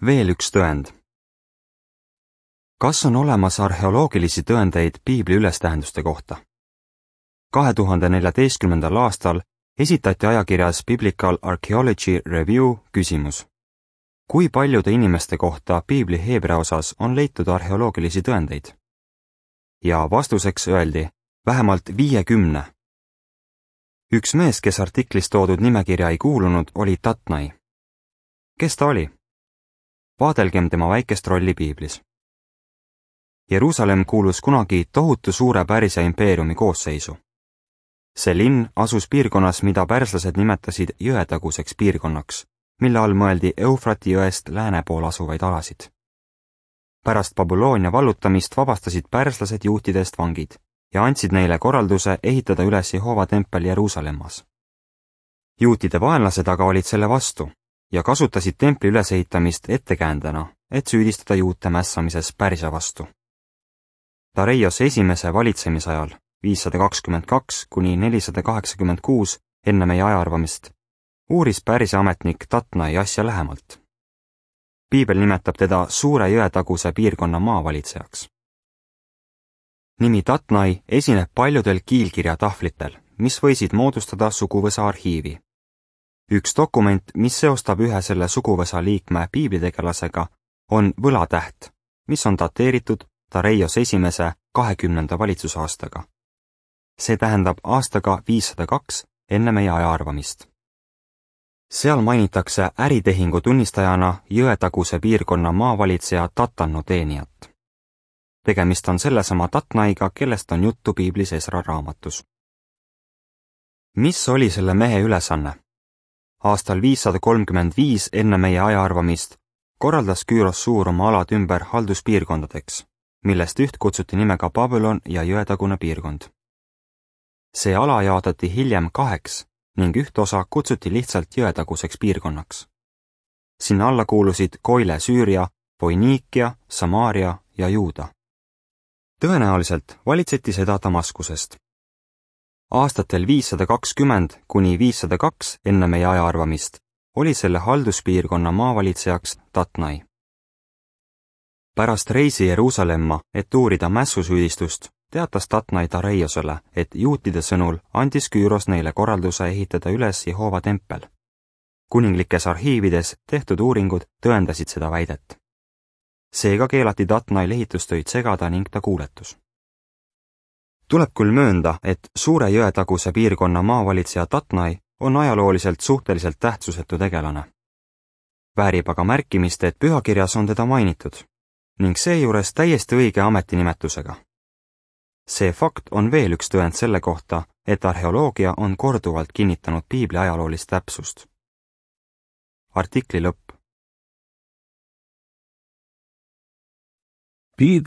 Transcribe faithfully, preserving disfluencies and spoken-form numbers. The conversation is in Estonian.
Veel üks tõend. Kas on olemas arheoloogilisi tõendeid Piibli ülestähenduste kohta? kahe tuhande neljateistkümnendal aastal esitati ajakirjas Biblical Archaeology Review küsimus. Kui paljude inimeste kohta Piibli heebrea osas on leitud arheoloogilisi tõendeid? Ja vastuseks öeldi vähemalt viiekümne. Üks mees, kes artiklis toodud nimekirja ei kuulunud, oli Tatnai. Kes ta oli? Vaadelgem tema väikest rolli Piiblis. Jeruusalemm kuulus kunagi tohutu suure Pärsia impeeriumi koosseisu. See linn asus piirkonnas, mida pärslased nimetasid jõetaguseks piirkonnaks, mille all mõeldi Eufrati jõest lääne pool asuvaid alasid. Pärast Babyloonia vallutamist vabastasid pärslased juutidest vangid ja andsid neile korralduse ehitada üles Jehova tempel Jeruusalemmas. Juutide vaenlased aga olid selle vastu ja kasutasid templi ülesehitamist ettekäändena, et süüdistada juute mässamises Pärsia vastu. Dareios esimese valitsemisajal viissada kakskümmend kaks kuni nelisada kaheksakümmend kuus enne meie ajaarvamist uuris Pärsia ametnik Tatnai asja lähemalt. Piibel nimetab teda suure jõetaguse piirkonna maavalitsejaks. Nimi Tatnai esineb paljudel kiilkirja tahvlitel, mis võisid moodustada suguvõsa arhiivi. Üks dokument, mis seostab ühe selle suguvõsa liikme piiblitegelasega, on võlatäht, mis on dateeritud Dareios esimese kahekümnenda valitsusaastaga. See tähendab aastaga viissada kaks enne meie ajaarvamist. Seal mainitakse äritehingu tunnistajana jõetaguse piirkonna maavalitseja Tatanno teenijat. Tegemist on sellesama Tatnaiga, kellest on juttu Piiblis Esra raamatus. Mis oli selle mehe ülesanne? Aastal viissada kolmkümmend viis enne meie ajaarvamist korraldas Küüros suur oma alad ümber halduspiirkondadeks, millest üht kutsuti nimega Babylon ja jõetagune piirkond. See ala jaotati hiljem kaheks ning üht osa kutsuti lihtsalt jõetaguseks piirkonnaks. Sinna alla kuulusid Koile Süüria, Foiniikia, Samaaria ja Juuda. Tõenäoliselt valitseti seda Damaskusest. Aastatel viissada kakskümmend kuni viissada kaks enne meie ajaarvamist oli selle halduspiirkonna maavalitsejaks Tatnai. Pärast reisi Jeruusalemma, et uurida mässusüüdistust, teatas Tatnai Dareiosele, et juutide sõnul andis Küüros neile korralduse ehitada üles Jehova tempel. Kuninglikes arhiivides tehtud uuringud tõendasid seda väidet. Seega keelati Tatnail ehitustöid segada ning ta kuuletus. Tuleb küll möönda, et suure jõetaguse piirkonna maavalitseja Tatnai on ajalooliselt suhteliselt tähtsusetu tegelane. Väärib aga märkimist, et pühakirjas on teda mainitud ning seejuures täiesti õige ametinimetusega. See fakt on veel üks tõend selle kohta, et arheoloogia on korduvalt kinnitanud Piibli ajaloolist täpsust. Artikli lõpp. Piibel